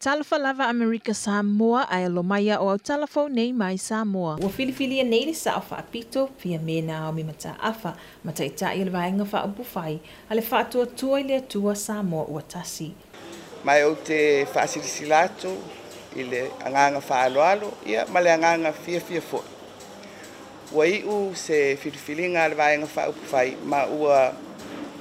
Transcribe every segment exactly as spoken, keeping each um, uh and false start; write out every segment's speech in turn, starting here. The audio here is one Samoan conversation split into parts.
Talofa lava Amerika Samoa ae alo mai o au talafou nei mai Samoa. Ua filifilia nei le Sao Faapito Fiame Naomi Mataafa ma Taitai o le Vaega Faaupufai a le Faatuatua i le Atua Samoa ua tasi. Ma ou te faasilasila atu i le agaga faaaloalo ia ma le agaga fiafia foi. Ua iu se filifiliga a le Vaega Faaupufai ma ua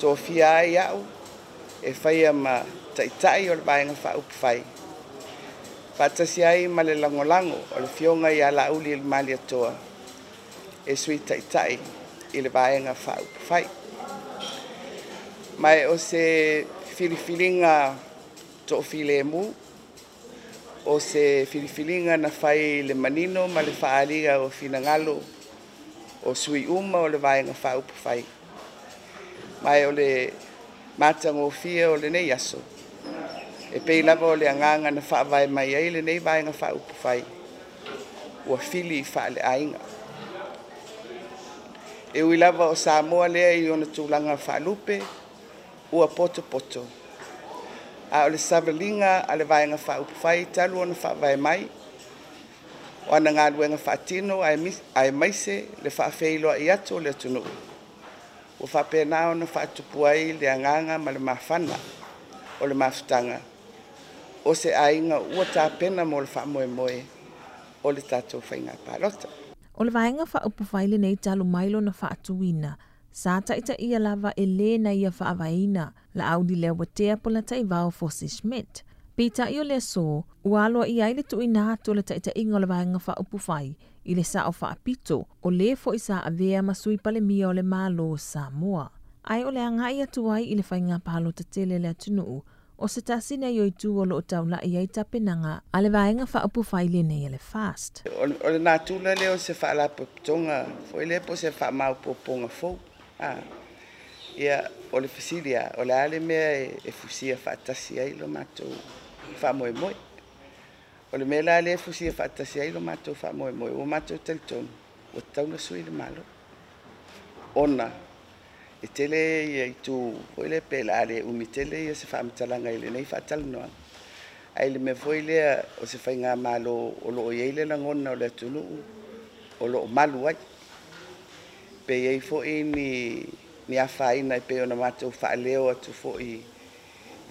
tofia ai au e faia ma Taitai o le Vaega Faaupufai. Faatasi ai ma le lagolago o le Afioga ia Laauli Malietoa e Sui Taitai i le Vaega Faaupufai. Ma o se filifiliga toafilemu, o se filifiliga na fai le manino ma le faaalia o finagalo o sui uma o le Vaega Faaupufai. Ma o le matagofie o lenei aso, e pei lava o le agaga na faavae mai ai lenei Vaega Faaupufai, ua fili faaleaiga. E ui lava o Samoa lea i ona tulaga faalupe, ua potopoto, a o le savaliga a le Vaega Faaupufai talu ona faavae mai, o ana galuega faatino aemaise le faafeiloai atu o le atunuu, ua faapena ona faatupu ai le agaga ma le mafana o le mafutaga o se aiga ua tapena mo le faamoemoe o le tatou faiga palota. O le Vaega Faaupufai lenei talu mai lona faatuina, sa taitaia lava e lē na ia faavaeina Laauli Leuatea Polataivao Fosi Schmidt. Peitai o le aso, ua aloaia ai le tuuina atu o le taitaiga o le Vaega Faaupufai i le Sao Faapito o lē foi sa avea ma Sui Palemia o le Malo o Samoa. Ae o le agai atu ai i le faiga palota tele le atunuu, o se tasi nei o itu o loo taulai ai tapenaga a le Vaega Faaupufai lenei a le FAST. O le natura lea o se faalapotopotoga foi lea po o se faamaopoopoga fou. Ah, ia, o le fesili lava, o le a le mea e fusia faatasi ai lo matou faamoemoe. O le mea la lea e fusia faatasi ai lo matou faamoemoe, ua matou talitonu, ua tatau ona sui le Malo. Ona e tele ia itu foi lea pe le a le umi tele ia se faamatalaga i lenei faatalanoaga. Ae le mea foi lea o se faigamalo o loo i ai le lagona o le atunuu o loo malu ai. Pe i ai foi ni ni afaina e pei ona matou faaleo atu foi i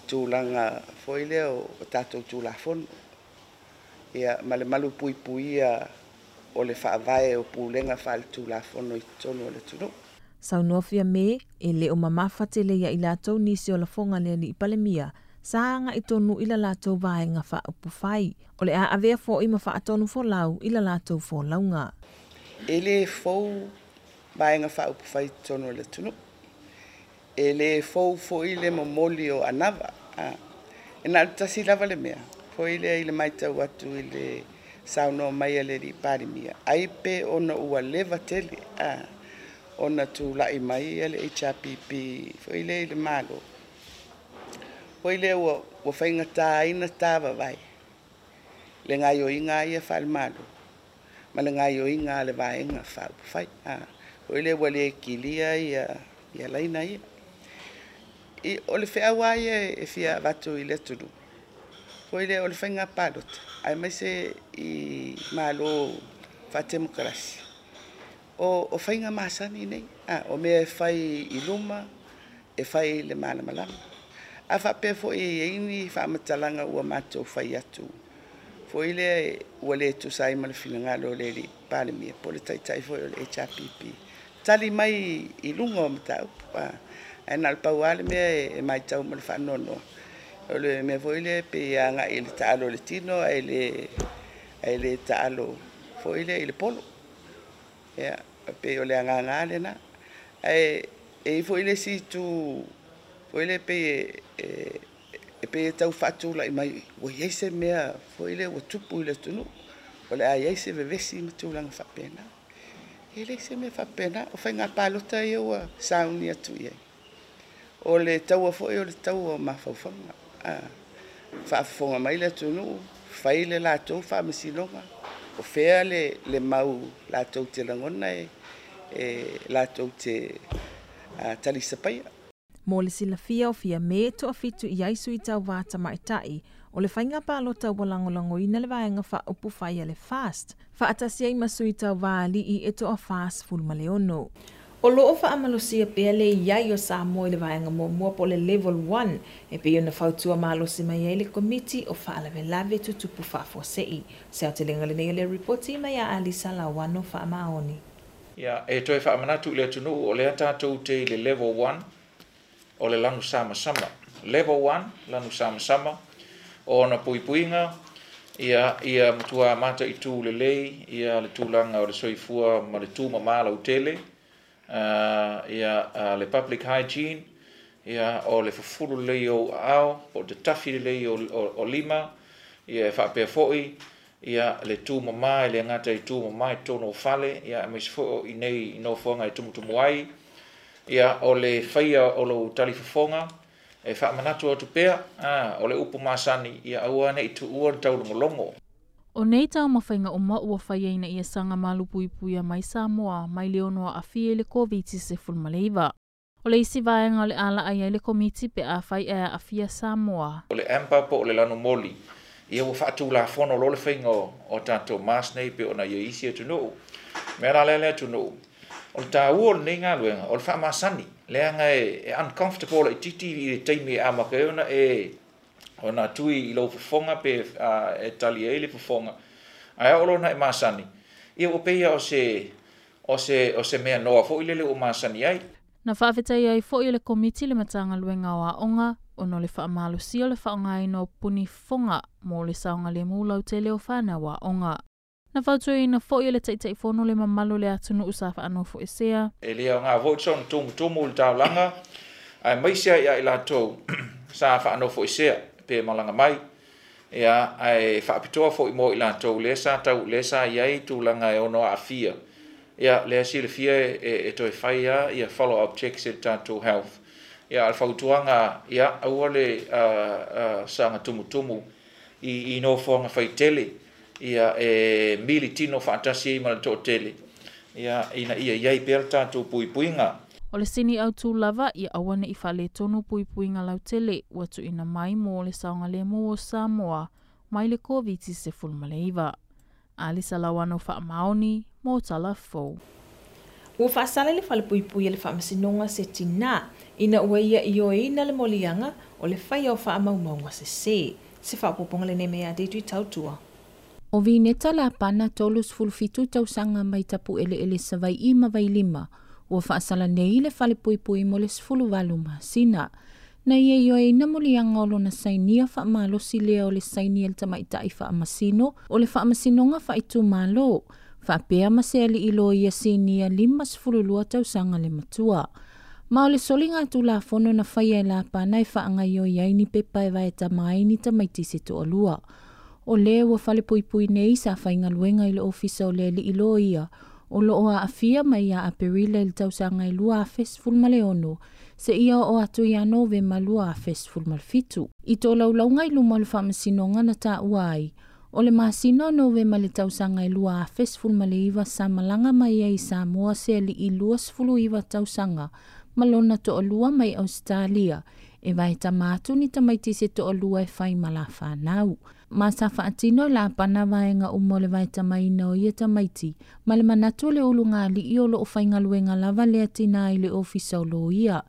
tulaga foi lea o tatou Tulafono. Ia, ma le malu puipuia o le faavae o pulega faale-Tulafono i totonu o le atunuu. Saunoa Fiame e le o mamafa tele ia i latou nisi o lafoga le alii Palemia sa agai tonu i la latou Vaega Faaupufai. O le a avea foi ma faatonu folau i la latou folauga. E le fou Vaega Faaupufai i totonu o le atunuu. E le fou foi le momoli o anava. E na o le tasi lava le mea, foi lea i le matau atu i le saunoa mai a le alii Palemia, ai pe ona ua leva tele ona tulai mai le H R P P foi lea i le Malo. Foi lea ua, ua faigata ai na tavavae le gaioiga ia faale-Malo ma le gaioiga a le Vaega Faaupufai. Foi lea ua le kilia ia, ia laina ia. I, o le feau lava ia e fia avatu i le atunuu, foi lea o le faiga palota, aemaise i Malo faatemokarasi, o, o faiga masani nei, ah, o mea e fai i luma, e fai i le malamalama. A faapea foi e i ai ni faamatalaga ua matou fai atu, foi lea ua le tusa ai ma le finagalo o le alii Palemia po o le Taitai foi o le H R P P, tali mai i luga o mataupu. Ae na o le pau lava le mea e matau ma le faanoanoa, o le mea foi lea pe agai i le taalo o le tino ae le, ae le taalo foi lea i le polo. Ia, pe o le agaga lena. Ae e i foi le isi itu foi lea pe e, e pe e tau faatulai mai, ua i ai se mea foi lea ua tupu i le atunuu, o le a i ai se vevesi ma tulaga faapena. E leai se mea faapena, o faiga palota ia ua sauni atu i ai. O le taua foi o le taua o mafaufauga. Ah, faafofoga mai le atunuu, fai le latou faamasinoga, o fea le, le mau latou te lagona e, e latou te talisapaia. Mo le silafia o Fiame toafitu i ai sui tauvā tamaitai O le faiga palota ua lagolagoina le vaega faaupufai a le FAST, faatasi ai ma sui tauva alii e toafa-sefulu ma le ono. O loo faamalosia pea le iai o Samoa i le vaega muamua po o le Level one e pei ona fautua malosi mai ai le Komiti o Faalavelave Tutupu Faafuasei. Se aotelega lenei o le ripoti mai ia Alisa Lauano Faamaoni. Ia, e toe faamanatu i le atunuu o lea tatou te i le Level one o le lanu samasama. Level one, lanu samasama, o ona puipuiga, ia, ia matua mataitu lelei, ia le tulaga o le soifua ma le tumamā lautele, uh, ia, uh, le public hygiene, ia, o le fufulu lelei o aao, po o te tafi lelei o, o, o lima, ia, e faapea foi, ia, le tumamā, e le gata i tumamā i totonu o fale, ia, aemaise foi o i nei i nofoaga e tumutumu ai, ia, o le faia o lou talifofoga, e faamanatu atu pea, a, o le upu masani, ia aua nei tuua le taulogologo. O nei taumafaiga uma ua faia ina ia saga malupuipuia mai Samoa mai le ono aafia i le Koviti sefulu ma le iva. O le isi vaega o le a laai ai le komiti pe afai e aafia Samoa. O le amber po o le lanu moli, ia ua faatulafono loa le faiga o, o tatou mask nei pe ona ia isi atunuu. Mea la lea le atunuu, o le taua o lenei galuega, o le faamasani, leaga e, e uncomfortable laitiiti i le taimi e amata ai ona e ona tui i lou fofoga pe uh, e tali ai le fofoga. Ae oo loa ona e masani, ia ua pei o se, o se, o se mea noa foi lele ua masani ai. Na faafetai ai foi e le komiti le Matagaluega o Aoga ona o le faamalosia o le faaaogaina o puni fofoga mo le saogalemu lautele o fanau aoga. Na fautuaina foi e le Taitaifono le mamalu o le atunuu sa faanofoesea. E le aoga foi soona tumutumu i le taulaga, aemaise ai ia i latou sa faanofoesea pe malaga mai. Ia, ae faapitoa foi mo i latou lea sa tau lea sa i ai tulaga e ono aafia. Ia, lea silafia e, e, e toe fai a ia follow up checks e le tatou health. Ia, o le fautuaga, ia, aua le uh, uh, saga tumutumu i, i nofoaga faitele, ia e mili tino faatasi ai ma le toatele, ia, ina ia iai pea le tatou puipuiga. O le sini autu lava ia aua nei faaletonu puipuiga lautele ua tuuina mai mo le saogalemu o Samoa mai le Koviti sefulu ma le iva. Alisa Lauano Faamaoni mo Tala Fou. Ua faasala le falepuipui e le faamasinoga se tinā ina ua ia ioeina le moliaga o le faia o faamaumauga sesē. Se faaopoopoga lenei mai ia Deidre Tautua. O Vineta Lapana tolu sefulu fitu tausaga mai Tapueleele Savai'i ma Vailima ua faasala nei le falepuipui mo le sefulu valu masina. Na ia ioeina moliaga o lona sainia faamalosi lea o le saini a le tamaita'i faamasino o le faamasinoga faaitumālō faapea ma se ali'i loia sinia lima sefulu lua tausaga le matua. Ma o le soliga tulafono na faia e Lapana e faagaioi ai ni pepa e vaetama ai ni tamaiti se toalua. O le ua falepuipui nei sa faigaluega i le ofisa o le ali'i loia o loo aafia mai ia Aperila i le tausaga e lua afe sefulu ma le ono seia oo atu ia Novema lua afe sefulu ma le fitu. I tolaulauga i luma o le faamasinoga na taua ai, o le masina o Novema le tausaga e lua afe sefulu ma le iva sa malaga mai ai i Samoa se ali'i lua sefulu iva tausaga ma lona toalua mai Ausetalia e vaetama atu ni tamaiti se toalua e fai ma la fanau. Ma sa faatino e Lapana vaega uma o le vaetamaina o ia tamaiti ma le manatu o le ulugalii o loo faigaluega lava lea tinā i le ofisa o loia.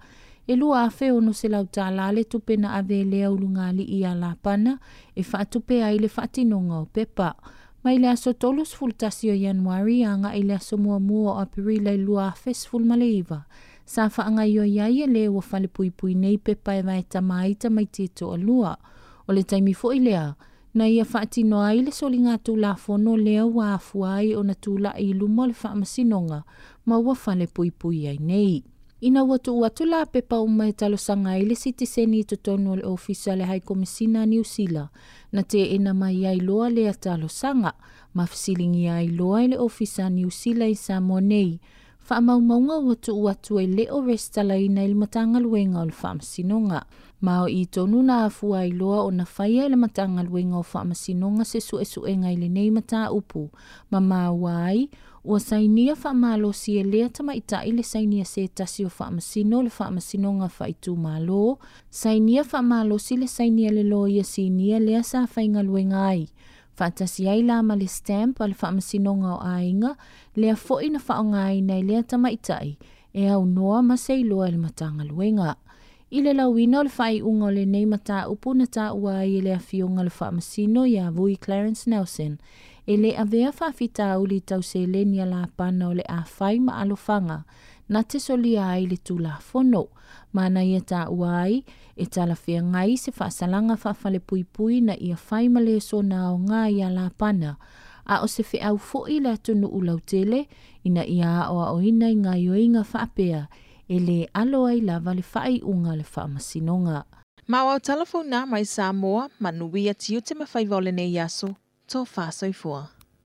E lua afe ono selau tālā le tupe na ave lea ulugalii ia Lapana e faatupe ai le faatinoga o pepa. Mai le aso tolu sefulu tasi o Ianuari agai i le aso muamua o Aperila i lua afe sefulu ma le iva. Sa faagaioi ai e le ua falepuipui nei pepa e vaetama ai tamaiti e toalua. O le taimi foi lea, na ia faatino ai le soliga tulafono lea ua afua ai ona tula'i i luma o le faamasinoga ma ua falepuipui ai nei. Ina ua tuu atu la pepa uma e talosaga ai le sitiseni i totonu o le ofisa le Hai Komisina a Niu Sila, na teena mai ai loa lea talosaga, ma fesiligia ai loa e le ofisa a Niu Sila i Samoa nei. Faamaumauga ua tuu atu e le o resitalaina i le Matagaluega o le Faamasinoga. Ma o i tonu na afua ai loa o na faia e le Matagaluega o Faamasinoga se suesuega i lenei mataupu, ma maua ai, ua sainia faamalosi e lea tamaitai le sainia se tasi o faamasino le faamasinoga faaitumalo, sainia faamalosi le sainia le loia sinia lea sa faigaluega ai. Faatasi ai la ma le stamp a le faamasinoga o aiga, lea foi na faaaogaina e lea tamaitai, e aunoa ma se iloa e le Matagaluega. I le lauina o le faaiuga o lenei mataupu na taua ai e le afioga le faamasino ia Vui Clarence Nelson, e le avea faafitauli tau seleni a lapana o le afai ma alofaga, na te solia ai le tulafono. Ma na ia taua ai, e talafeagai se faasalaga faafalepuipui na ia fai ma le sona aoga ia lapana, a o se feau foi le atunuu lautele, ina ia aoaoina i gaioiga faapea, e le alo ai lava le faaiuga le faamasinoga. Ma o au mai Samoa, manuia tiute ma faiva o lenei aso, tō whāsoifua.